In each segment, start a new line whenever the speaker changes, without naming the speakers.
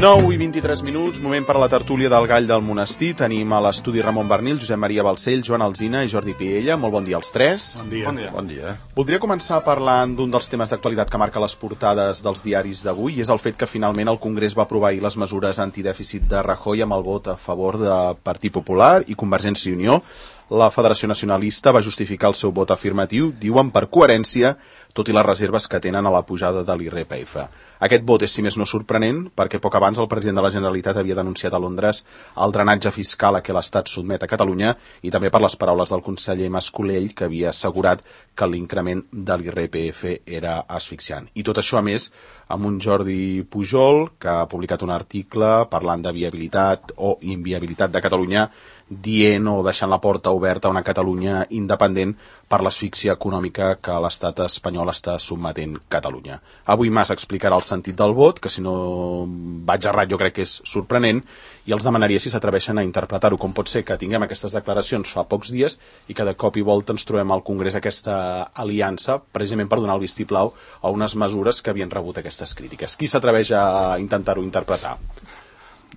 9:23, moment per a la tertúlia del Gall del Monestir. Tenim a l'estudi Ramon Bernil, Josep Maria Balcell, Joan Alsina i Jordi Piella. Molt bon dia als tres.
Bon dia.
Bon dia.
Voldria començar parlant d'un dels temes d'actualitat que marca les portades dels diaris d'avui, i és el fet que finalment el Congrés va aprovar ahir les mesures antidèficit de Rajoy amb el vot a favor de Partit Popular i Convergència i Unió. La Federació Nacionalista va justificar el seu vot afirmatiu, diuen per coherència, tot i les reserves que tenen a la pujada de l'IRPF. Aquest vot és, si més no, sorprenent, perquè poc abans el president de la Generalitat havia denunciat a Londres el drenatge fiscal a què l'Estat sotmet a Catalunya, i també per les paraules del conseller Mas-Colell, que havia assegurat que l'increment de l'IRPF era asfixiant. I tot això, a més, amb un Jordi Pujol, que ha publicat un article parlant de viabilitat o inviabilitat de Catalunya, dient o deixant la porta oberta a una Catalunya independent per l'asfíxia econòmica que l'estat espanyol està sotmetent Catalunya. Avui Mas explicarà el sentit del vot, que si no vaig errat jo crec que és sorprenent, i els demanaria si s'atreveixen a interpretar-ho. Com pot ser que tinguem aquestes declaracions fa pocs dies i que de cop i volta ens trobem al Congrés aquesta aliança, precisament per donar el vistiplau a unes mesures que havien rebut aquestes crítiques. Qui s'atreveix a intentar-ho interpretar?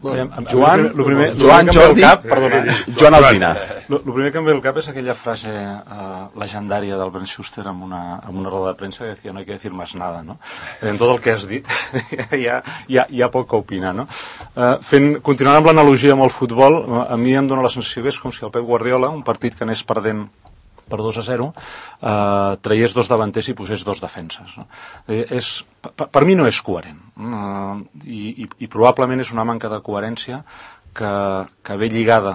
Joan, Jordi, Joan Alsina.
El primer que em ve al cap és aquella frase legendària d'Albert Schuster en una roda de premsa que deia no hay que decir más nada, no? En tot el que has dit hi ha poc a opinar, no? Continuant amb l'analogia amb el futbol, a mi em dóna la sensació que és com si el Pep Guardiola, un partit que anés perdent per 2-0, traiés dos davanters i posés dos defenses, no? Per mi no és coherent, i probablement és una manca de coherència que ve lligada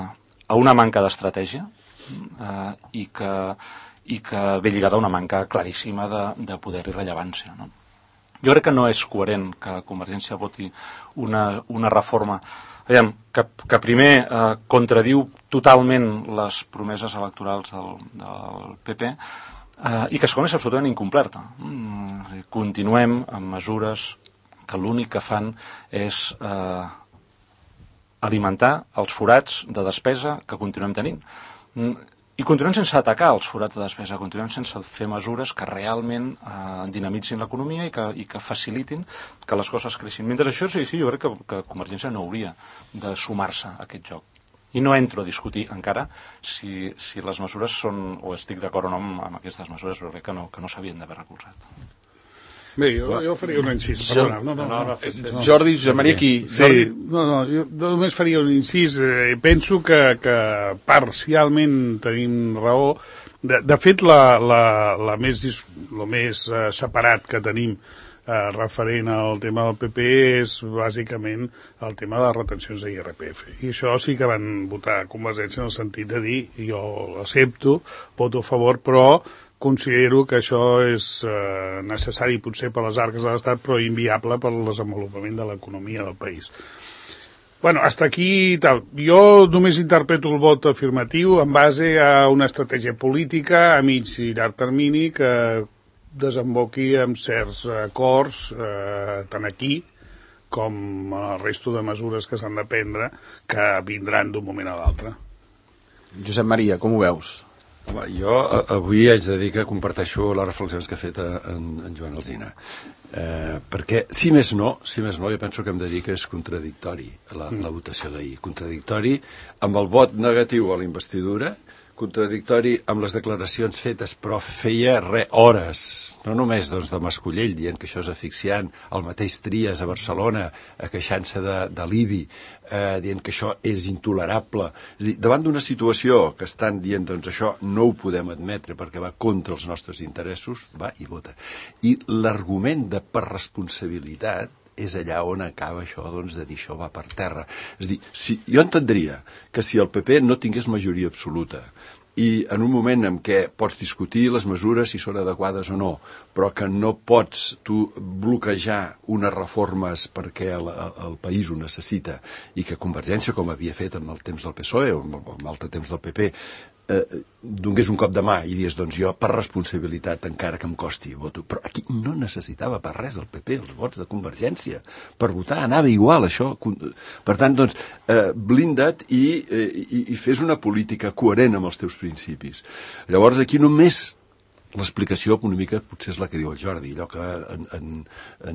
a una manca d'estratègia i que ve lligada a una manca claríssima de poder i rellevància, no? Jo crec que no és coherent que Convergència voti una reforma que primer contradiu totalment les promeses electorals del PP i que segon és absolutament incomplerta. Continuem amb mesures que l'únic que fan és alimentar els forats de despesa que continuem tenint. I continuem sense atacar els forats de despesa, continuem sense fer mesures que realment dinamitzin l'economia i que facilitin que les coses creixin. Mentre això, sí, jo crec que Convergència no hauria de sumar-se a aquest joc. I no entro a discutir encara si les mesures són, o estic d'acord o no amb aquestes mesures, però crec que no s'havien d'haver recolzat.
Bé, jo faria un incís.
Jordi, Josep Maria, aquí.
Sí, jo només faria un incís. Penso que parcialment tenim raó. De fet, el més separat que tenim referent al tema del PP és bàsicament el tema de les retencions de l'IRPF. I això sí que van votar Convergència en el sentit de dir jo l'accepto, voto a favor, però considero que això és necessari potser per les arques de l'Estat, però inviable per al desenvolupament de l'economia del país. Bueno, hasta aquí tal. Jo només interpreto el vot afirmatiu en base a una estratègia política a mig i llarg termini que desemboqui amb certs acords, tant aquí com el resto de mesures que s'han de prendre, que vindran d'un moment a l'altre.
Josep Maria, com ho veus?
Home, jo avui haig de dir que comparteixo les reflexions que ha fet en Joan Alsina. Perquè, si més no, jo penso que hem de dir que és contradictori la votació d'ahir. Contradictori amb el vot negatiu a la investidura, contradictori amb les declaracions fetes, però feia hores, no només de Mas-Colell dient que això és asfixiant, el mateix Trias a Barcelona queixant-se de l'IBI, dient que això és intolerable. És a dir, davant d'una situació que estan dient això no ho podem admetre perquè va contra els nostres interessos, va i vota. I l'argument de per responsabilitat és allà on acaba això, de dir això va per terra. És a dir, jo entendria que si el PP no tingués majoria absoluta i en un moment en què pots discutir les mesures si són adequades o no, però que no pots tu bloquejar unes reformes perquè el país ho necessita i que Convergència, com havia fet en el temps del PSOE o en altre temps del PP, donés un cop de mà i dius, jo per responsabilitat encara que em costi voto, però aquí no necessitava per res el PP els vots de Convergència per votar, anava igual això. Per tant, blinda't i fes una política coherent amb els teus principis. Llavors aquí només l'explicació econòmica potser és la que diu el Jordi, allò que en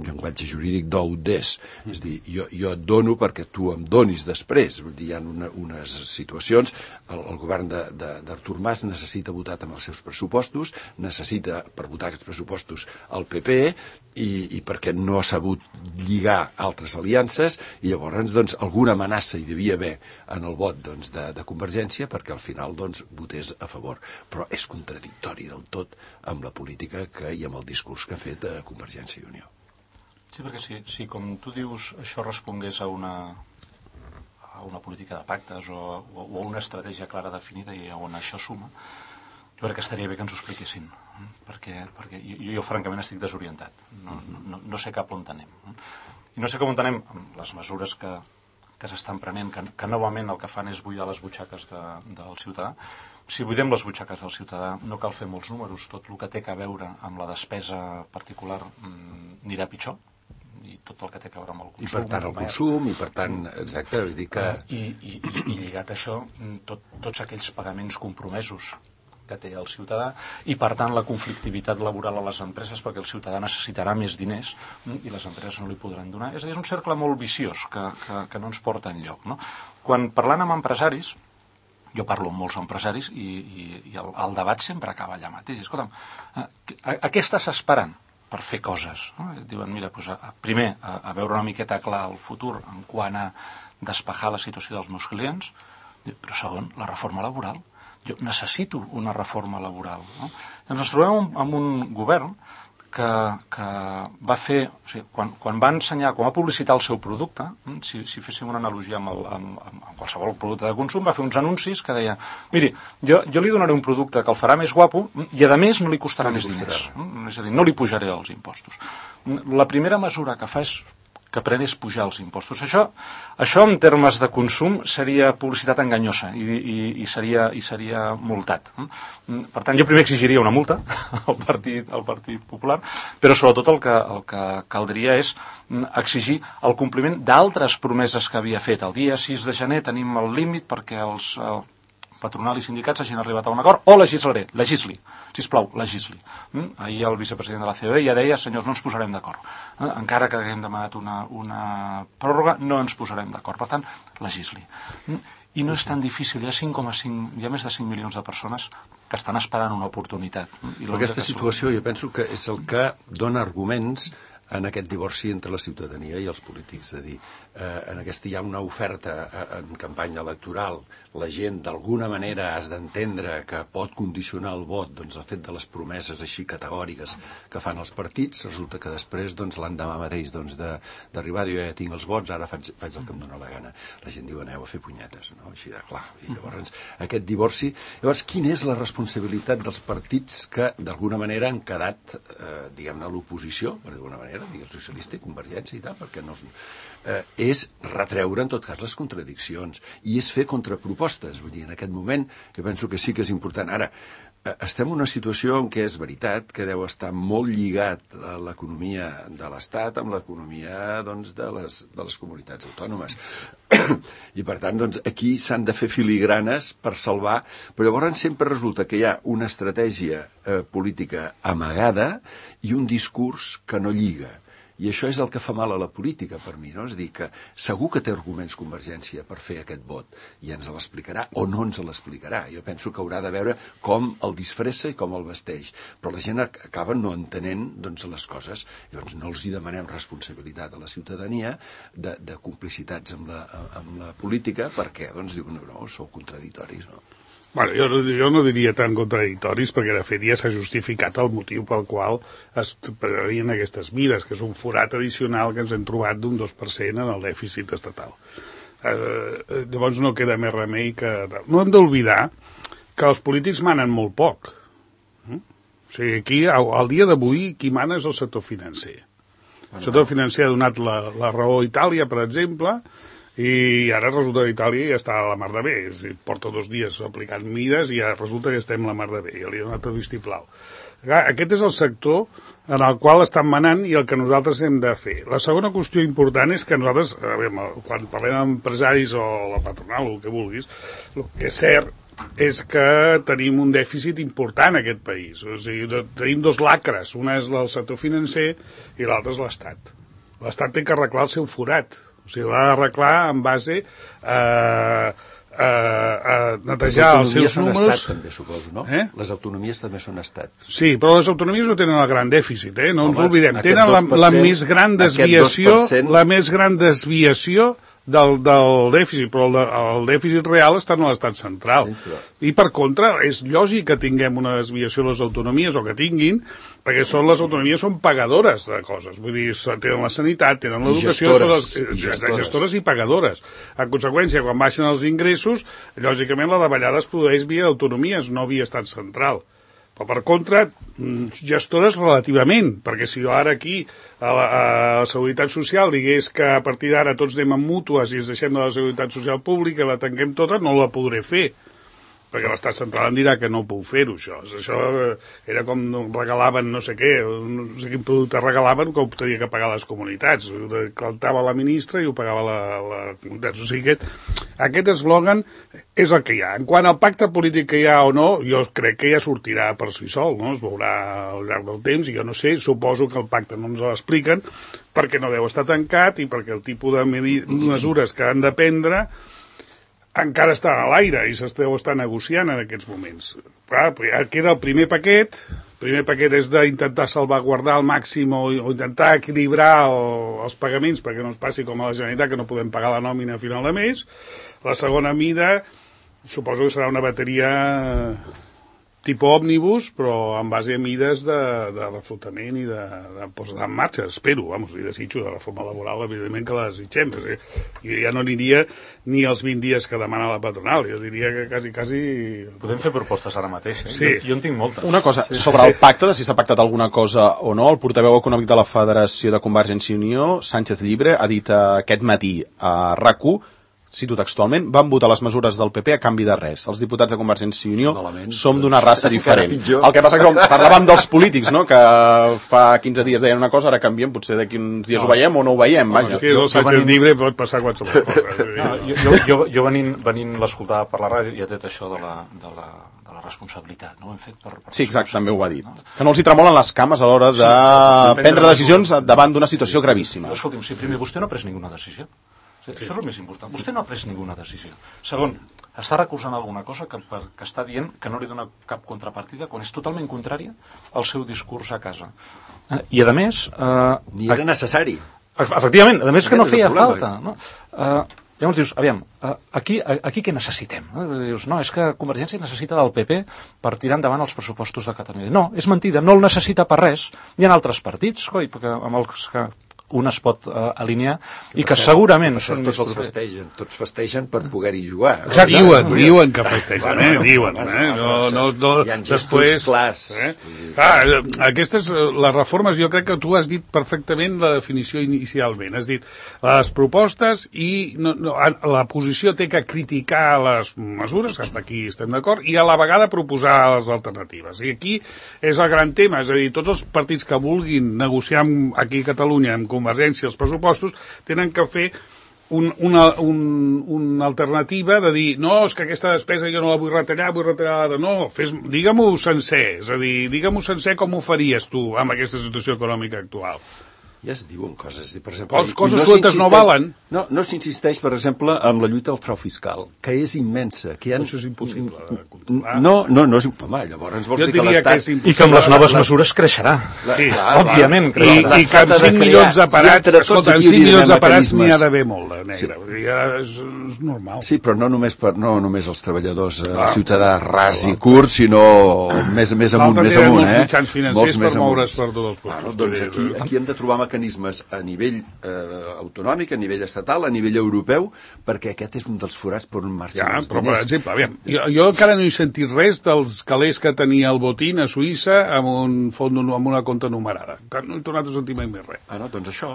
llenguatge jurídic do des. És a dir, jo et dono perquè tu em donis després. Vull dir, hi ha unes situacions, el govern d'Artur Mas necessita votar amb els seus pressupostos, necessita per votar aquests pressupostos el PP i perquè no ha sabut lligar altres aliances i llavors doncs, alguna amenaça hi devia haver en el vot doncs, de Convergència perquè al final doncs, votés a favor. Però és contradictori del tot amb la política i amb el discurs que ha fet Convergència i Unió.
Sí, perquè si com tu dius això respongués a una política de pactes o a una estratègia clara definida i on això suma, jo crec que estaria bé que ens ho expliquessin, perquè jo francament estic desorientat, no sé cap on anem. I no sé com on anem amb les mesures que s'estan prenent, que novament el que fan és buidar les butxaques del ciutadà. Si buidem les butxaques del ciutadà no cal fer molts números, tot el que té a veure amb la despesa particular anirà pitjor, i tot el que té a veure amb el consum.
I per tant el consum, i per tant, exacte, vull dir que...
I lligat a això, tots aquells pagaments compromesos que té el ciutadà i per tant la conflictivitat laboral a les empreses perquè el ciutadà necessitarà més diners i les empreses no li podran donar. És a dir, és un cercle molt viciós que no ens porta enlloc, no? Quan parlant amb empresaris, jo parlo amb molts empresaris i el debat sempre acaba allà mateix. Escolta'm, a què estàs esperant per fer coses? Diuen, mira, doncs, primer, a veure una miqueta clar el futur en quant a despejar la situació dels meus clients, però segon, la reforma laboral. Jo necessito una reforma laboral. No? Ens trobem amb un govern que va fer, o sigui, quan va ensenyar, quan va publicitar el seu producte, si féssim una analogia amb qualsevol producte de consum, va fer uns anuncis que deia, miri, jo li donaré un producte que el farà més guapo i a més no li costarà més diners. És a dir, no li pujaré els impostos. La primera mesura que fa és que pren és pujar els impostos. Això en termes de consum seria publicitat enganyosa i seria multat. Per tant, jo primer exigiria una multa al Partit Popular, però sobretot el que caldria és exigir el compliment d'altres promeses que havia fet. El dia 6 de gener tenim el límit perquè els patronal i sindicats hagin arribat a un acord, o legisli, sisplau, legisli. Ahir el vicepresident de la COE ja deia, senyors, no ens posarem d'acord. Encara que haguem demanat una pròrroga, no ens posarem d'acord. Per tant, legisli. I no és tan difícil, hi ha més de 5 milions de persones que estan esperant una oportunitat.
Aquesta situació jo penso que és el que dona arguments en aquest divorci entre la ciutadania i els polítics. És a dir, en aquesta hi ha una oferta en campanya electoral, la gent d'alguna manera has d'entendre que pot condicionar el vot, doncs el fet de les promeses així categòriques que fan els partits, resulta que després doncs, l'endemà mateix doncs, d'arribar, jo ja tinc els vots, ara faig el que em dóna la gana. La gent diu aneu a fer punyetes, no? Així de clar. I llavors aquest divorci... Llavors, quina és la responsabilitat dels partits que d'alguna manera han quedat, diguem-ne, a l'oposició, per d'alguna manera, el socialista i Convergència i tal, perquè no és retreure en tot cas les contradiccions i és fer contrapropostes. Vull dir, en aquest moment jo penso que sí que és important. Ara, estem en una situació en què és veritat que deu estar molt lligat a l'economia de l'Estat amb l'economia doncs, de les comunitats autònomes. I per tant, doncs, aquí s'han de fer filigranes per salvar, però llavors sempre resulta que hi ha una estratègia política amagada i un discurs que no lliga. I això és el que fa mal a la política per mi, no? És a dir, que segur que té arguments Convergència per fer aquest vot i ens l'explicarà o no ens l'explicarà. Jo penso que haurà de veure com el disfressa i com el vesteix. Però la gent acaba no entenent doncs, les coses. Llavors no els hi demanem responsabilitat a la ciutadania de complicitats amb la política perquè doncs, diuen no, sou contradictoris, no?
Bueno, jo no diria tan contradictoris perquè de fet ja s'ha justificat el motiu pel qual es prenien aquestes mides, que és un forat addicional que ens hem trobat d'un 2% en el dèficit estatal. Llavors no queda més remei que... No hem d'oblidar que els polítics manen molt poc. O sigui, aquí, al dia d'avui, qui mana és el sector financer. El sector financer ha donat la raó a Itàlia, per exemple, i ara resulta que Itàlia ja està a la mar de bé, és a dir, porta 2 dies aplicant mides i ja resulta que estem a la mar de bé, ja li ha donat el vistiplau. Aquest és el sector en el qual estan manant i el que nosaltres hem de fer. La segona qüestió important és que nosaltres, quan parlem amb empresaris o la patronal o el que vulguis, el que és cert és que tenim un dèficit important en aquest país. O sigui, tenim dos lacres. Una és el sector financer i l'altra és l'Estat. L'Estat té que arreglar el seu forat. O sigui, l'ha d'arreglar en base a netejar els seus números.
Les autonomies són estat, també, suposo, no? Les autonomies també són estat.
Sí, però les autonomies no tenen el gran dèficit, no ens oblidem. Tenen la més gran desviació, del dèficit, però el dèficit real està en l'estat central. I per contra, és lògic que tinguem una desviació de les autonomies, o que tinguin, perquè les autonomies són pagadores de coses. Vull dir, tenen la sanitat, tenen l'educació, són gestores i pagadores. En conseqüència, quan baixen els ingressos, lògicament la davallada es produeix via autonomies, no via estat central. Però, per contra, gestores relativament, perquè si jo ara aquí a la Seguretat Social digués que a partir d'ara tots anem amb mútues i ens deixem de la Seguretat Social Pública i la tanquem tota, no la podré fer, perquè l'estat central em dirà que no puc fer-ho, això. Això era com regalaven no sé què, no sé quin producte regalaven que ho tenia que pagar les comunitats. Cantava la ministra i ho pagava la comunitat. O sigui, aquest eslògan és el que hi ha. En quant al pacte polític que hi ha o no, jo crec que ja sortirà per si sol, no? Es veurà al llarg del temps, i jo no sé, suposo que el pacte no ens l'expliquen, perquè no deu estar tancat i perquè el tipus de mesures que han de prendre encara està a l'aire i s'esteu estar negociant en aquests moments. Clar, queda el primer paquet. El primer paquet és d'intentar salvaguardar al màxim o intentar equilibrar els pagaments perquè no ens passi com a la Generalitat, que no podem pagar la nòmina a final de mes. La segona mida suposo que serà una bateria tipus òmnibus, però en base a mides de reflotament i de posar en marxa, espero, i desitjo de reforma laboral, evidentment que la desitgem. Jo ja no aniria ni els 20 dies que demana la patronal, jo diria que quasi...
Podem fer propostes ara mateix,
Sí.
Jo en tinc moltes.
Una cosa, sobre el pacte, de si s'ha pactat alguna cosa o no, el portaveu econòmic de la Federació de Convergència i Unió, Sánchez Llibre, ha dit aquest matí a RAC1, cito textualment, van votar les mesures del PP a canvi de res. Els diputats de Convergència i Unió som d'una raça diferent. El que passa que parlàvem dels polítics, no? Que fa 15 dies deien una cosa, ara canvien, potser d'aquí uns dies ho veiem o no ho veiem, vaja.
Si és el Sánchez Llibre pot passar qualsevol cosa.
Jo venint l'escoltar per la ràdio, ja té això de la responsabilitat, no? Ho hem fet per
sí, exacte, també ho va dir. Que no els hi tremolen les cames a l'hora de prendre decisions davant d'una situació gravíssima.
Escolti'm, si primer vostè no ha pres ninguna decisió. Això és el més important. Vostè no ha pres ninguna decisió. Segon, està recusant alguna cosa que està dient que no li dona cap contrapartida quan és totalment contrària al seu discurs a casa. I, a més...
Ni era necessari.
Efectivament, a més que no feia falta. No? Llavors dius, aviam, aquí què necessitem? Dius, no, és que Convergència necessita del PP per tirar endavant els pressupostos de Catalunya. No, és mentida, no el necessita per res. Hi ha altres partits, coi, perquè amb els que un es pot alinear i que segurament són més propers.
Tots festegen per poder-hi jugar.
Exacte. Diuen que festegen, diuen. No, després... Aquestes, les reformes, jo crec que tu has dit perfectament la definició inicialment. Has dit les propostes i la posició té que criticar les mesures, que hasta aquí estem d'acord, i a la vegada proposar les alternatives. I aquí és el gran tema, és a dir, tots els partits que vulguin negociar aquí a Catalunya amb Convergència els pressupostos tenen que fer una alternativa de dir, no, és que aquesta despesa jo no la vull retallar, no, digue-m'ho sencer, és a dir, digue-m'ho sencer com ho faries tu amb aquesta situació econòmica actual.
Ja es diuen coses, per exemple...
Les coses sueltes no valen.
No s'insisteix, per exemple, en la lluita al frau fiscal, que és immensa.
Això és impossible de controlar.
No és... Home, llavors vols dir que l'Estat...
I que amb les noves mesures creixerà. Òbviament creixerà.
I que amb 5 milions de parats, escolta, amb 5 milions de parats n'hi ha d'haver molt de negre. És normal.
Sí, però no només els treballadors ciutadà ras i curt, sinó més amunt,
molts mitjans financers per moure's per tots els postos.
Doncs aquí hem de trobar mecanismes a nivell autonòmic, a nivell estatal, a nivell europeu, perquè aquest és un dels forats per on marxen els diners.
Però, per exemple, aviam, jo encara no he sentit res dels calés que tenia el Botín a Suïssa amb una compta numerada. No he tornat a sentir mai més res.
Doncs això.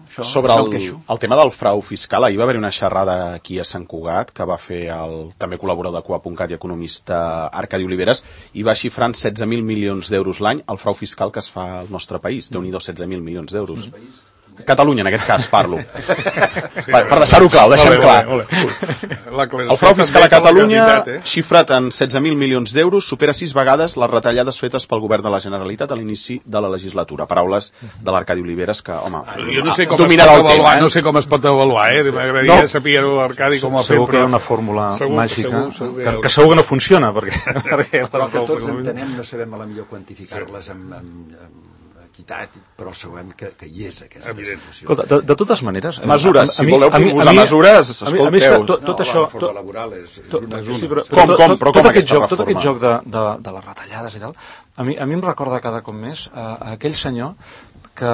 Sobre el tema del frau fiscal, ahir va haver una xerrada aquí a Sant Cugat que va fer el també col·laborador de Coa.cat i economista Arcadi Oliveres, i va xifrar en 16.000 milions d'euros l'any el frau fiscal que es fa al nostre país. Déu-n'hi-do, 16.000 milions d'euros. Catalunya, en aquest cas, parlo. Per deixar-ho clar, ho deixem clar. El frau fiscal a Catalunya, xifrat en 16.000 milions d'euros, supera 6 vegades les retallades fetes pel govern de la Generalitat a l'inici de la legislatura. Paraules de l'Arcadi Oliveres, que, home,
jo no sé com es pot avaluar, no sé com es pot avaluar, m'agradaria saber-ho l'Arcadi com ho ha fet.
Segur que hi ha una fórmula màgica que segur que no funciona, perquè
però que tots entenem, no sabem a la millor quantificar-les amb equitat, però sabem que hi és aquesta situació.
Escolta, de totes maneres...
Mesures, si voleu proposar mesures, escolteu.
Tot això...
La reforma laboral és una
com aquesta reforma?
Tot aquest joc de les retallades i tal, a mi em recorda cada cop més aquell senyor que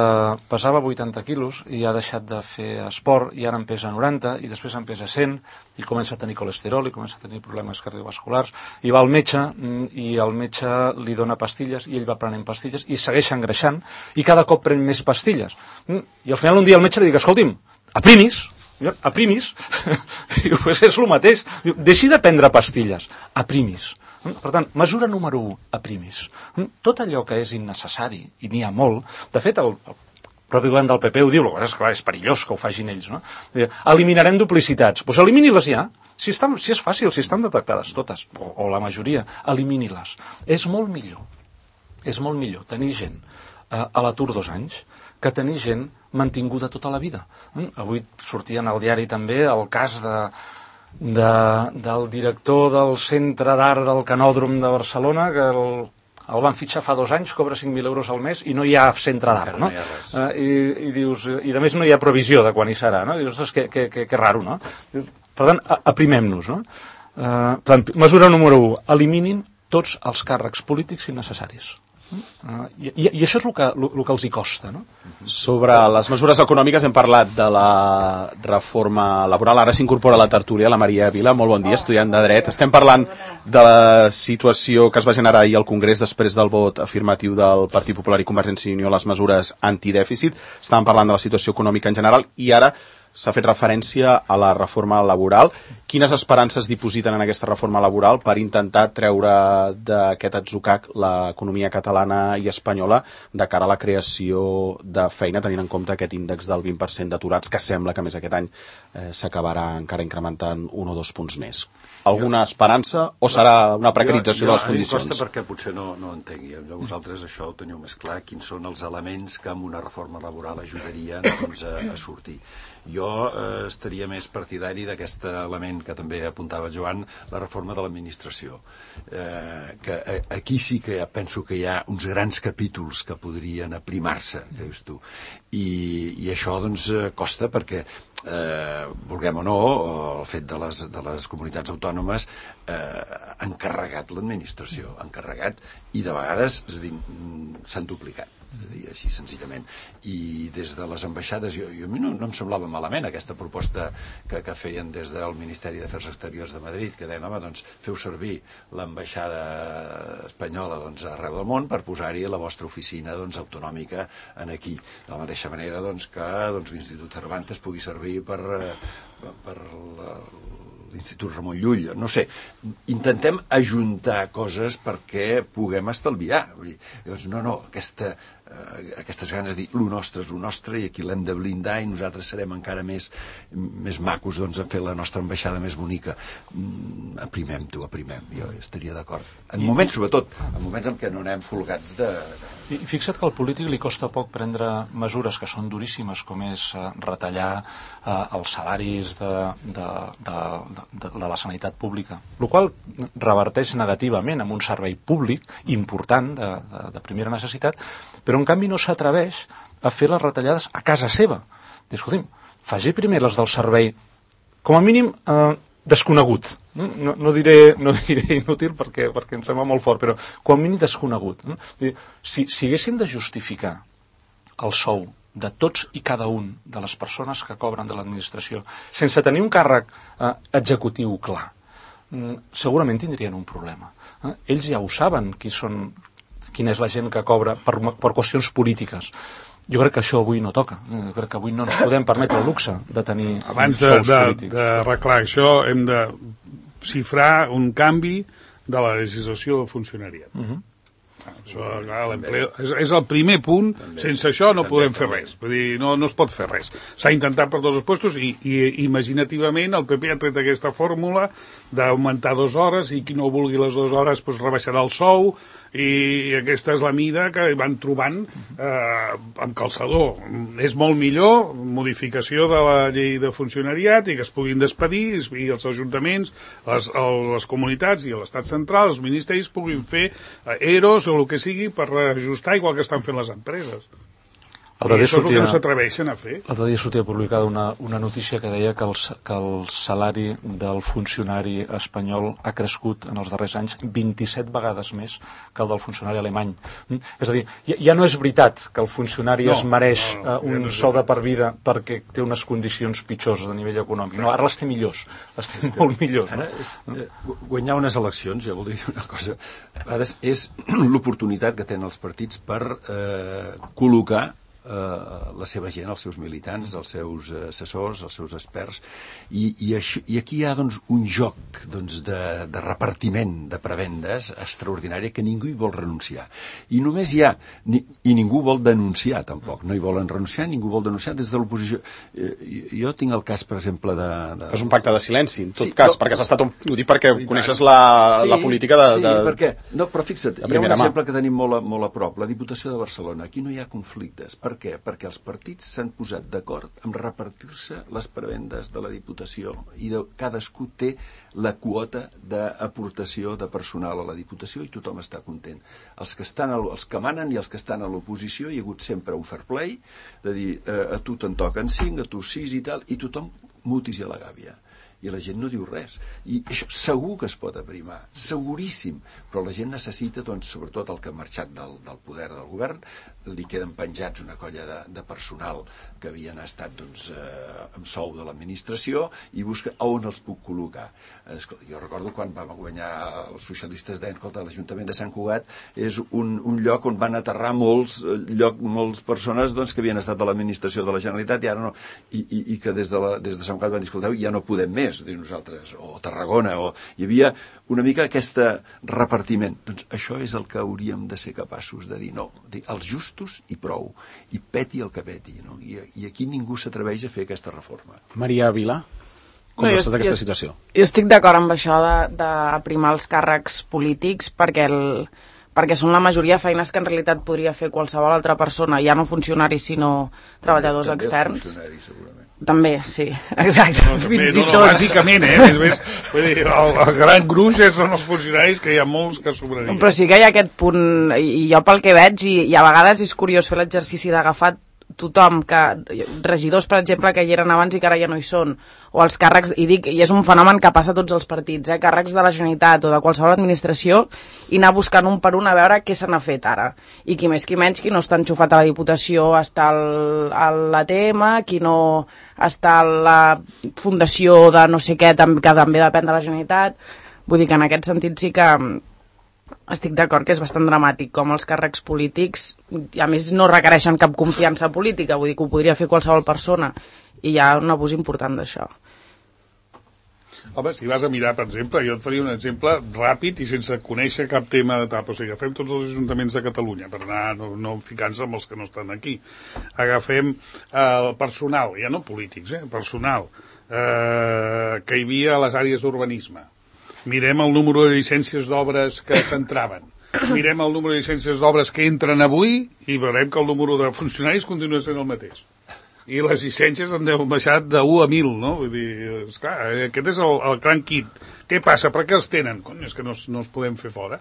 pesava 80 quilos i ha deixat de fer esport i ara en pesa 90 i després en pesa 100 i comença a tenir colesterol i comença a tenir problemes cardiovasculars i va al metge i el metge li dona pastilles i ell va prenent pastilles i segueix engreixant i cada cop pren més pastilles i al final un dia el metge li diu, escolti'm, aprimis i pues és el mateix, deixi de prendre pastilles, aprimis. Per tant, mesura número 1, aprimis. Tot allò que és innecessari, i n'hi ha molt, de fet el propi govern del PP ho diu, és clar, és perillós que ho facin ells, no? Eliminarem duplicitats. Doncs elimini-les ja. Si és fàcil, si estan detectades totes, o la majoria, elimini-les. És molt millor tenir gent a l'atur 2 anys que tenir gent mantinguda tota la vida. Avui sortia en el diari també el cas del director del Centre d'Art del Canòdrom de Barcelona, que el van fitxar fa 2 anys, cobra 5.000 euros al mes i no hi ha centre d'art, no? I dius, i a més no hi ha previsió de quan hi serà, no? I dius, ostres, que raro, no? Per tant, aprimem-nos, no? Mesura número 1, eliminin tots els càrrecs polítics innecessaris. I això és el que els hi costa, no?
Sobre les mesures econòmiques hem parlat de la reforma laboral. Ara s'incorpora a la tertúlia la Maria Vila. Molt bon dia, estudiant de Dret. Estem parlant de la situació que es va generar ahir al Congrés després del vot afirmatiu del Partit Popular i Convergència i Unió a les mesures antidèficit. Estàvem parlant de la situació econòmica en general i ara s'ha fet referència a la reforma laboral. Quines esperances dipositen en aquesta reforma laboral per intentar treure d'aquest atzucac l'economia catalana i espanyola de cara a la creació de feina, tenint en compte aquest índex del 20% d'aturats, que sembla que més aquest any s'acabarà encara incrementant 1 o 2 punts més? Alguna esperança o serà una precarització de les condicions?
A mi costa perquè potser no entengui. Vosaltres això ho teniu més clar, quins són els elements que amb una reforma laboral ajudarien a sortir. Jo estaria més partidari d'aquest element que també apuntava Joan, la reforma de l'administració. Que aquí sí que penso que hi ha uns grans capítols que podrien aprimar-se, que dius tu. I això doncs costa perquè vulguem o no, el fet de les comunitats autònomes han carregat l'administració, i de vegades s'han duplicat, així senzillament. I des de les ambaixades, a mi no em semblava malament aquesta proposta que feien des del Ministeri d'Afers Exteriors de Madrid, que deien, home, doncs feu servir l'ambaixada espanyola arreu del món per posar-hi la vostra oficina autonòmica aquí. De la mateixa manera que l'Institut Cervantes pugui servir per l'Institut Ramon Llull, no sé, intentem ajuntar coses perquè puguem estalviar. Doncs no, aquestes ganes de dir lo nostre és lo nostre i aquí l'hem de blindar i nosaltres serem encara més macos a fer la nostra ambaixada més bonica. Aprimem, jo estaria d'acord. En moments, sobretot, en moments en què no anem folgats de...
I fixa't que al polític li costa poc prendre mesures que són duríssimes, com és retallar els salaris de la sanitat pública, el qual reverteix negativament en un servei públic important, de primera necessitat, però en canvi no s'atreveix a fer les retallades a casa seva. Escolti'm, faci primer les del servei, com a mínim desconegut. No diré inútil perquè em sembla molt fort, però com a mínim desconegut. Si haguéssim de justificar el sou de tots i cada un de les persones que cobren de l'administració sense tenir un càrrec executiu clar, segurament tindrien un problema. Ells ja ho saben quina és la gent que cobra per qüestions polítiques. Jo crec que això avui no toca. Jo crec que avui no ens podem permetre el luxe de tenir sous polítics.
Abans d'arreglar això, hem de xifrar un canvi de la legislació del funcionariat. Això, clar, l'empleo és el primer punt. Sense això no podem fer res. Vull dir, no es pot fer res. S'ha intentat per tots els puestos i imaginativament el PP ha tret aquesta fórmula d'augmentar 2 hores i qui no vulgui les 2 hores doncs rebaixarà el sou, i aquesta és la mida que van trobant amb calçador. És molt millor modificació de la llei de funcionariat i que es puguin despedir i els ajuntaments, les comunitats i l'Estat central, els ministeris puguin fer EROs o el que sigui per reajustar igual que estan fent les empreses. I això és el que no s'atreveixen a fer.
L'altre dia sortia publicada una notícia que deia que el salari del funcionari espanyol ha crescut en els darrers anys 27 vegades més que el del funcionari alemany. És a dir, ja no és veritat que el funcionari es mereix un sou de per vida perquè té unes condicions pitjors a nivell econòmic. No, ara les té millors, les té molt millors.
Guanyar unes eleccions, ja vol dir una cosa, ara és l'oportunitat que tenen els partits per col·locar la seva gent, els seus militants, els seus assessors, els seus experts, i aquí hi ha doncs, un joc doncs, de repartiment de prebendes extraordinari que ningú hi vol renunciar. I només hi ha, i ningú vol denunciar tampoc, no hi volen renunciar, ningú vol denunciar des de l'oposició. Jo tinc el cas, per exemple,
És un pacte de silenci, en tot cas, perquè has estat ho dic perquè coneixes la política de...
Sí, perquè, no, però fixa't, hi ha un exemple que tenim molt a prop, la Diputació de Barcelona. Aquí no hi ha conflictes. Per què? Perquè els partits s'han posat d'acord en repartir-se les prebendes de la Diputació i cadascú té la quota d'aportació de personal a la Diputació i tothom està content. Els que manen i els que estan a l'oposició hi ha hagut sempre un fair play, de dir, a tu te'n toquen 5, a tu 6 i tal, i tothom mutis i a la gàbia. I la gent no diu res. I això segur que es pot aprimar, seguríssim, però la gent necessita, doncs, sobretot el que ha marxat del poder del govern, li queden penjats una colla de personal que havien estat doncs, amb sou de l'administració i busca on els puc col·locar. Jo recordo quan vam guanyar els socialistes deien, escolta, l'Ajuntament de Sant Cugat és un lloc on van aterrar molts persones doncs, que havien estat de l'administració de la Generalitat i ara no, i que des de Sant Cugat van dir, escolteu, ja no podem més, nosaltres, o Tarragona, hi havia una mica aquest repartiment. Doncs això és el que hauríem de ser capaços de dir, no, els justos i prou, i peti el que peti, no? I aquí ningú s'atreveix a fer aquesta reforma.
Maria Vilà, com veus tota aquesta situació?
Jo estic d'acord amb això d'aprimar els càrrecs polítics perquè són la majoria de feines que en realitat podria fer qualsevol altra persona, ja no funcionaris sinó treballadors externs.
També els funcionaris, segurament.
També, sí, exacte.
No, fins i tot. Bàsicament, vull dir, el gran gruix són els funcionaris, que hi ha molts que sobrarien.
Però sí que hi ha aquest punt, i jo pel que veig, i a vegades és curiós fer l'exercici d'agafar tothom, regidors, per exemple, que hi eren abans i que ara ja no hi són, o els càrrecs, i és un fenomen que passa a tots els partits, càrrecs de la Generalitat o de qualsevol administració, i anar buscant un per un a veure què se n'ha fet ara. I qui més qui menys, qui no està enxufat a la Diputació està a l'ATM, qui no està a la fundació de no sé què, que també depèn de la Generalitat. Vull dir que en aquest sentit sí que estic d'acord que és bastant dramàtic com els càrrecs polítics, a més no requereixen cap confiança política, vull dir que ho podria fer qualsevol persona, i hi ha un abús important d'això.
Home, si vas a mirar, per exemple, jo et faria un exemple ràpid i sense conèixer cap tema de tap, o sigui, agafem tots els ajuntaments de Catalunya, per anar no ficant-se amb els que no estan aquí. Agafem el personal, ja no polítics, personal, que hi havia a les àrees d'urbanisme. Mirem el número de llicències d'obres que s'entraven. Mirem el número de llicències d'obres que entren avui i veurem que el número de funcionaris continua sent el mateix. I les llicències han baixat de 1 a 1.000, no? Vull dir, esclar, aquest és el gran kit. Què passa? Per què els tenen? Cony, és que no els podem fer fora.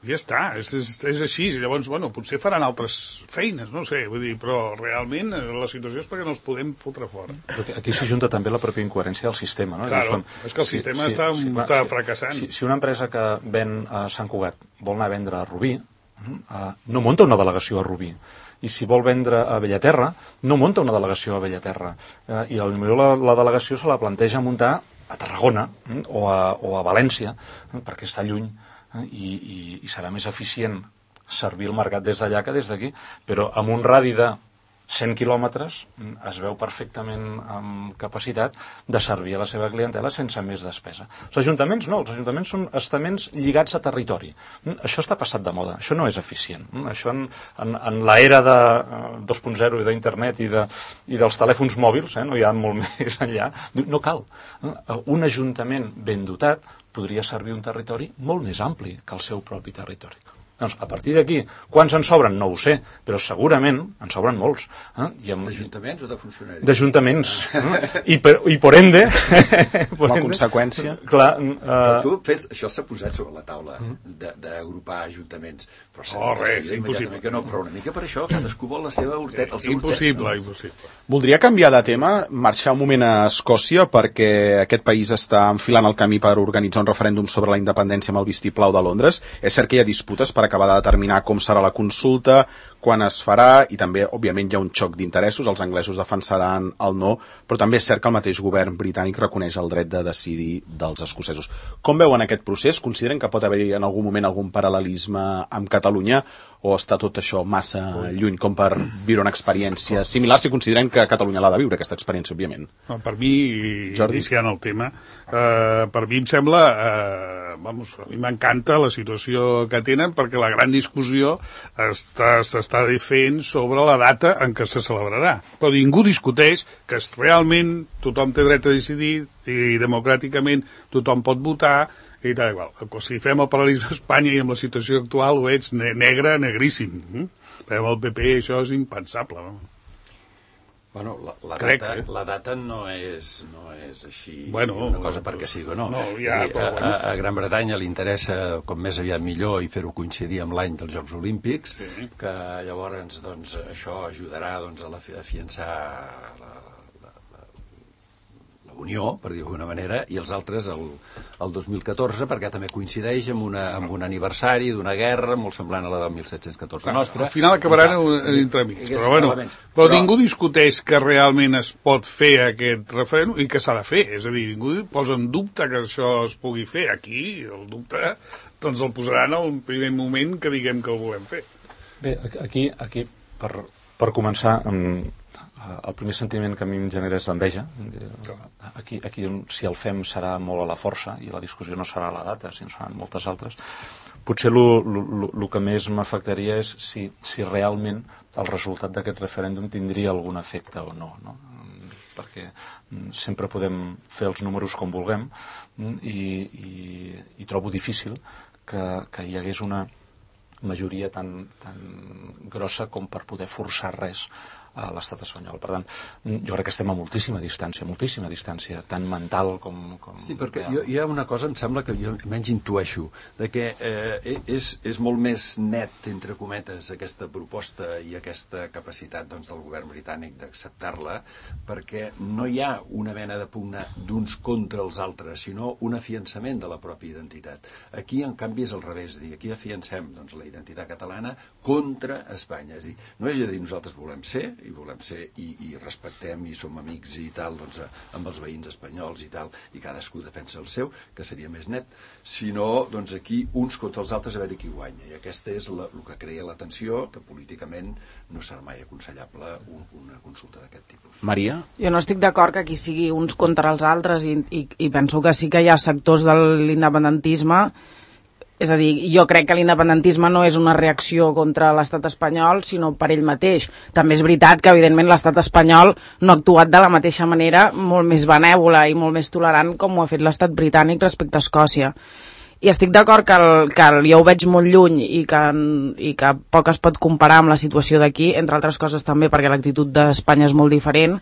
Ja està, és així. Llavors, bueno, potser faran altres feines, no sé, vull dir, però realment la situació és perquè no els podem fotre fora.
Aquí s'hi junta també la pròpia incoherència del sistema, no?
Claro, és que el sistema està fracassant.
Si una empresa que ven a Sant Cugat vol anar a vendre a Rubí, no munta una delegació a Rubí. I si vol vendre a Bellaterra, no munta una delegació a Bellaterra. I potser la delegació se la planteja muntar a Tarragona o a València, perquè està lluny, i serà més eficient servir el mercat des d'allà que des d'aquí, però amb un radi de 100 quilòmetres es veu perfectament amb capacitat de servir a la seva clientela sense més despesa. Els ajuntaments no, els ajuntaments són estaments lligats a territori. Això està passat de moda, això no és eficient. Això en l'era de 2.0 i d'internet i dels telèfons mòbils, no hi ha molt més enllà, no cal. Un ajuntament ben dotat podria servir un territori molt més ampli que el seu propi territori. Doncs, a partir d'aquí, quants en sobren? No ho sé, però segurament en sobren molts.
D'ajuntaments o de funcionaris?
D'ajuntaments. I por ende...
Com a conseqüència...
Clar,
però tu fes... Això s'ha posat sobre la taula d'agrupar ajuntaments. Però
impossible.
Que no, però una mica per això, cadascú vol la seva horteta.
Impossible.
Voldria canviar de tema, marxar un moment a Escòcia, perquè aquest país està enfilant el camí per organitzar un referèndum sobre la independència amb el vistiplau de Londres. És cert que hi ha disputes per acabar de determinar com serà la consulta, quan es farà, i també, òbviament, hi ha un xoc d'interessos. Els anglesos defensaran el no, però també és cert que el mateix govern britànic reconeix el dret de decidir dels escocesos. Com veuen aquest procés? Consideren que pot haver-hi en algun moment algun paral·lelisme amb Catalunya, o està tot això massa lluny com per viure una experiència similar, si consideren que Catalunya l'ha de viure, aquesta experiència, òbviament?
Per mi, iniciant el tema, per mi em sembla, a mi m'encanta la situació que tenen, perquè la gran discussió s'està fent sobre la data en què se celebrarà. Però ningú discuteix que realment tothom té dret a decidir i democràticament tothom pot votar, i tal igual. Si fem el paral·lelisme a Espanya i amb la situació actual ho veig negre, negríssim. Però amb el PP això és impensable.
Bueno, la data no és així una cosa perquè sí o no. A Gran Bretanya li interessa com més aviat millor i fer-ho coincidir amb l'any dels Jocs Olímpics, que llavors això ajudarà a afiançar la Unió, per dir d'alguna manera, i els altres el 2014, perquè també coincideix amb un aniversari d'una guerra molt semblant a la del 1714 nostra.
Al final acabaran entremig. Però ningú discuteix que realment es pot fer aquest referèndum i que s'ha de fer. És a dir, ningú posa en dubte que això es pugui fer. Aquí el dubte doncs el posaran al primer moment que diguem que el volem fer.
Bé, aquí per començar... El primer sentiment que a mi em genera és l'enveja. Aquí si el fem serà molt a la força i la discussió no serà a la data, sinó seran moltes altres. Potser el que més m'afectaria és si realment el resultat d'aquest referèndum tindria algun efecte o no. Perquè sempre podem fer els números com vulguem i trobo difícil que hi hagués una majoria tan grossa com per poder forçar res a l'estat espanyol. Per tant, jo crec que estem a moltíssima distància, tant mental com...
Sí, perquè hi ha una cosa, em sembla que jo menys intueixo, de que és molt més net, entre cometes, aquesta proposta i aquesta capacitat del govern britànic d'acceptar-la, perquè no hi ha una mena de pugna d'uns contra els altres, sinó un afiançament de la pròpia identitat. Aquí, en canvi, és al revés. Aquí afiancem la identitat catalana contra Espanya. És a dir, no és a dir, nosaltres volem ser, i respectem i som amics i tal, amb els veïns espanyols i tal, i cadascú defensa el seu, que seria més net, sinó aquí uns contra els altres a veure qui guanya. I aquesta és el que crea la tensió, que políticament no serà mai aconsellable una consulta d'aquest tipus.
Maria?
Jo no estic d'acord que aquí sigui uns contra els altres i penso que sí que hi ha sectors de l'independentisme. És a dir, jo crec que l'independentisme no és una reacció contra l'estat espanyol, sinó per ell mateix. També és veritat que, evidentment, l'estat espanyol no ha actuat de la mateixa manera, molt més benèvola i molt més tolerant com ho ha fet l'estat britànic respecte a Escòcia. I estic d'acord que jo ho veig molt lluny i que poc es pot comparar amb la situació d'aquí, entre altres coses també perquè l'actitud d'Espanya és molt diferent,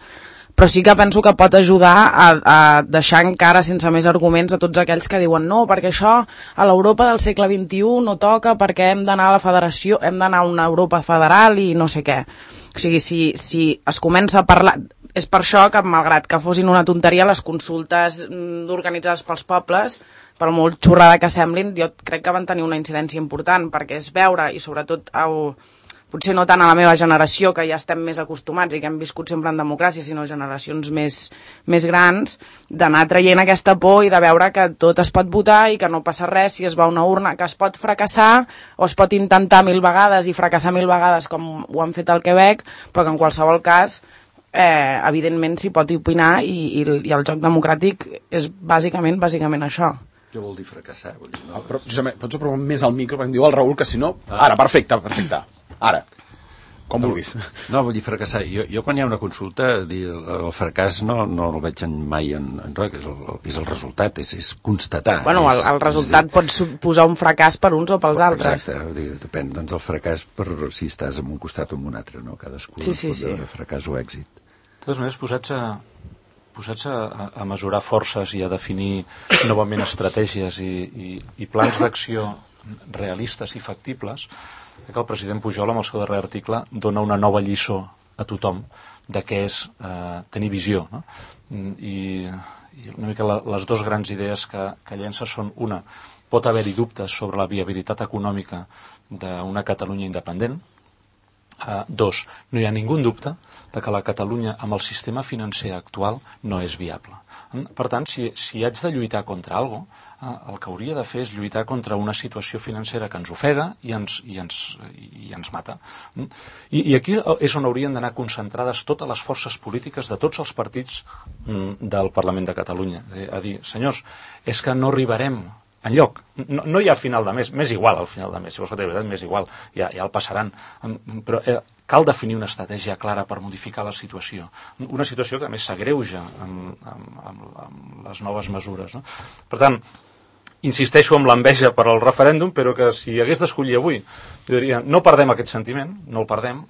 però sí que penso que pot ajudar a deixar encara sense més arguments a tots aquells que diuen no, perquè això a l'Europa del segle XXI no toca perquè hem d'anar a la federació, hem d'anar a una Europa federal i no sé què. O sigui, si es comença a parlar... És per això que, malgrat que fossin una tonteria, les consultes organitzades pels pobles, per molt xorrada que semblin, jo crec que van tenir una incidència important, perquè és veure, i sobretot potser no tant a la meva generació, que ja estem més acostumats i que hem viscut sempre en democràcia, sinó generacions més grans, d'anar traient aquesta por i de veure que tot es pot votar i que no passa res si es va a una urna, que es pot fracassar o es pot intentar 1000 vegades i fracassar 1000 vegades com ho han fet al Quebec, però que en qualsevol cas evidentment s'hi pot opinar i el joc democràtic és bàsicament això.
Què vol dir fracassar? Vol dir,
no, però, Josep, pots aprovar més al micro, perquè em diu el Raül que si no... Ara, perfecte. Ara. Com vulguis.
No, vull dir fracassar. Jo quan hi ha una consulta, el fracàs no el veig mai en res, és el resultat, és constatar.
Bueno, el resultat pot suposar un fracàs per uns o pels altres.
Exacte, depèn doncs del fracàs per si estàs en un costat o en un altre, no? Cadascú pot veure fracàs o èxit.
De totes maneres, posats a mesurar forces i a definir novament estratègies i plans d'acció realistes i factibles, que el president Pujol, amb el seu darrer article, dona una nova lliçó a tothom de què és tenir visió. No? I una mica les dues grans idees que llença són una, pot haver-hi dubtes sobre la viabilitat econòmica d'una Catalunya independent. Dos, no hi ha ningú dubte de que la Catalunya amb el sistema financer actual no és viable. Per tant, si haig de lluitar contra alguna cosa, el que hauria de fer és lluitar contra una situació financera que ens ofega i ens mata. I aquí és on haurien d'anar concentrades totes les forces polítiques de tots els partits del Parlament de Catalunya. A dir, senyors, és que no arribarem enlloc. No hi ha final de mes, m'és igual al final de mes, si vols que de veritat m'és igual, ja el passaran. Però cal definir una estratègia clara per modificar la situació. Una situació que a més s'agreuja amb les noves mesures. No? Per tant, insisteixo amb l'enveja per al referèndum, però que si hagués d'escollir avui, diria, no perdem aquest sentiment, no el perdem,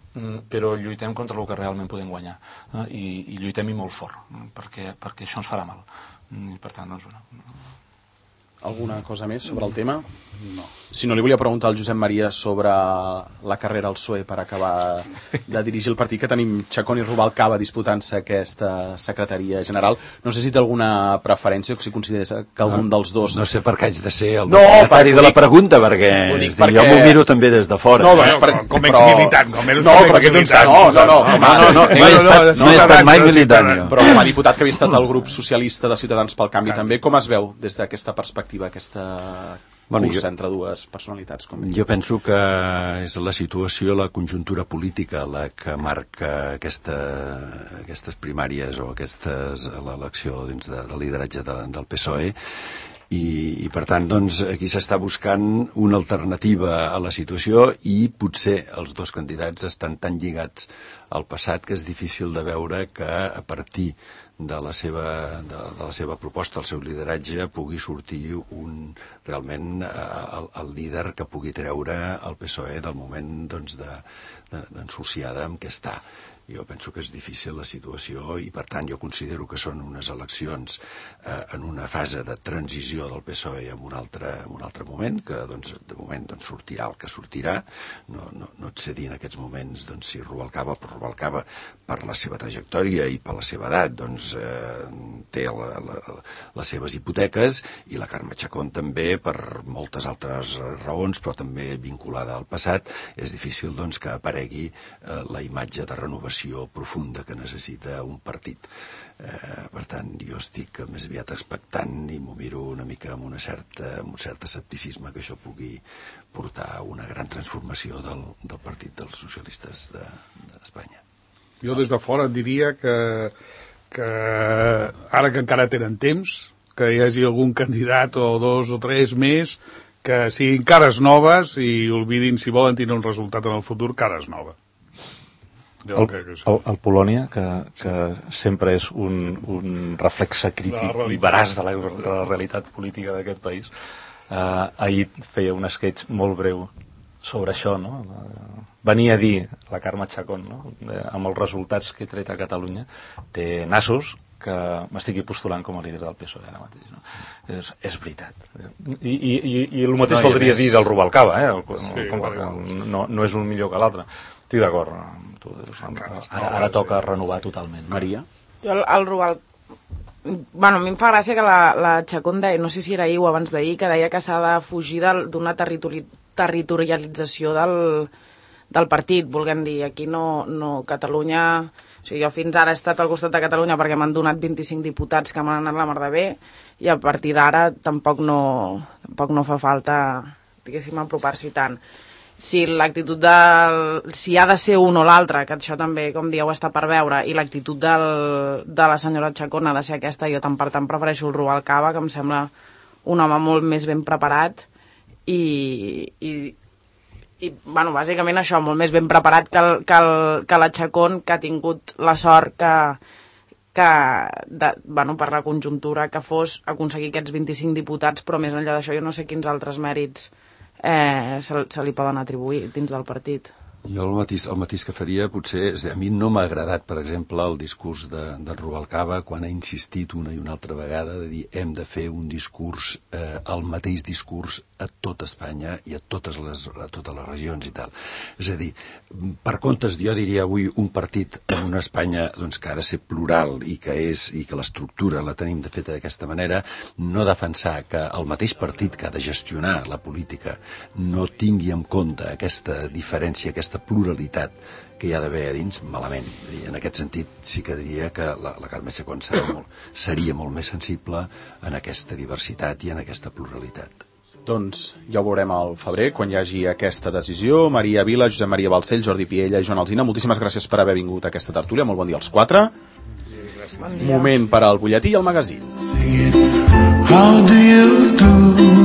però lluitem contra el que realment podem guanyar. I lluitem-hi molt fort, perquè això ens farà mal. I per tant, doncs,
Alguna cosa més sobre el tema?
No.
Si no, li volia preguntar al Josep Maria sobre la carrera al PSOE per acabar de dirigir el partit, que tenim Chacón i Rubalcaba disputant-se aquesta secretaria general. No sé si té alguna preferència o si consideres que algun dels dos...
No sé per què haig de ser el destinatari de la pregunta, perquè jo m'ho miro també des de fora.
No, com exmilitant.
No he estat mai militant.
Però com a diputat que havia estat al grup socialista de Ciutadans pel Canvi també, com es veu des d'aquesta perspectiva, aquesta cursa entre dues personalitats?
Jo penso que és la situació, la conjuntura política la que marca aquestes primàries o l'elecció dins del lideratge del PSOE i per tant doncs, aquí s'està buscant una alternativa a la situació i potser els dos candidats estan tan lligats al passat que és difícil de veure que a partir de la seva proposta, el seu lideratge, pugui sortir realment el líder que pugui treure el PSOE del moment d'ensuciada en què està. Jo penso que és difícil la situació i, per tant, jo considero que són unes eleccions en una fase de transició del PSOE en un altre moment, que de moment sortirà el que sortirà. No et sé dir en aquests moments si Rubalcaba per la seva trajectòria i per la seva edat té les seves hipoteques, i la Carme Chacón també per moltes altres raons, però també vinculada al passat. És difícil que aparegui la imatge de renovació profunda que necessita un partit. Per tant, jo estic més aviat expectant i m'ho miro una mica amb un cert escepticisme que això pugui portar a una gran transformació del partit dels socialistes d'Espanya.
Jo des de fora diria que ara que encara tenen temps, que hi hagi algun candidat o dos o tres més que siguin cares noves i oblidin, si volen tenir un resultat en el futur, cares noves.
El Polònia, que sempre és un reflexe crític i veraç de la realitat política d'aquest país, ahir feia un sketch molt breu sobre això, no? Venia a dir la Carme Chacón, no? Amb els resultats que he tret a Catalunya, té nassos que m'estigui postulant com a líder del PSOE ara mateix. No? És veritat. I el mateix voldria dir del Rubalcaba, no és un millor que l'altre. Estic d'acord amb tu. Ara toca renovar totalment.
Maria?
Jo el Rubalcaba... Bueno, a mi em fa gràcia que la Chacón deia, no sé si era ahir o abans d'ahir, que deia que s'ha de fugir d'una territorialització del partit, volguem dir. Aquí no Catalunya... O sigui, jo fins ara he estat al costat de Catalunya perquè m'han donat 25 diputats que m'han anat la mar de bé, i a partir d'ara tampoc no fa falta, diguéssim, apropar-s'hi tant. Si l'actitud si ha de ser un o l'altre, que això també, com dieu, està per veure, i l'actitud de la senyora Chacón ha de ser aquesta, jo tant per tant prefereixo el Rubalcaba, que em sembla un home molt més ben preparat i bueno, bàsicament això, molt més ben preparat que la Chacón, que ha tingut la sort bueno, per la conjuntura que fos aconseguir aquests 25 diputats, però més enllà d'això jo no sé quins altres mèrits se li poden atribuir dins del partit.
Jo el matís que faria potser, a mi no m'ha agradat, per exemple, el discurs de Rubalcaba quan ha insistit una i una altra vegada de dir hem de fer un discurs, el mateix discurs a tot Espanya i a totes les regions i tal. És a dir, per comptes, jo diria avui un partit en una Espanya doncs, que ha de ser plural i que l'estructura la tenim de feta d'aquesta manera, no defensar que el mateix partit que ha de gestionar la política no tingui en compte aquesta diferència, aquesta pluralitat que hi ha d'haver a dins, malament. I en aquest sentit sí que diria que la Carme Chacón seria molt més sensible en aquesta diversitat i en aquesta pluralitat.
Doncs ja ho veurem al febrer, quan hi hagi aquesta decisió. Maria Vila, Josep Maria Balcells, Jordi Piella i Joan Alsina, moltíssimes gràcies per haver vingut a aquesta tertúlia. Molt bon dia als quatre. Bon dia. Moment per al butlletí i el magazín. How do you do?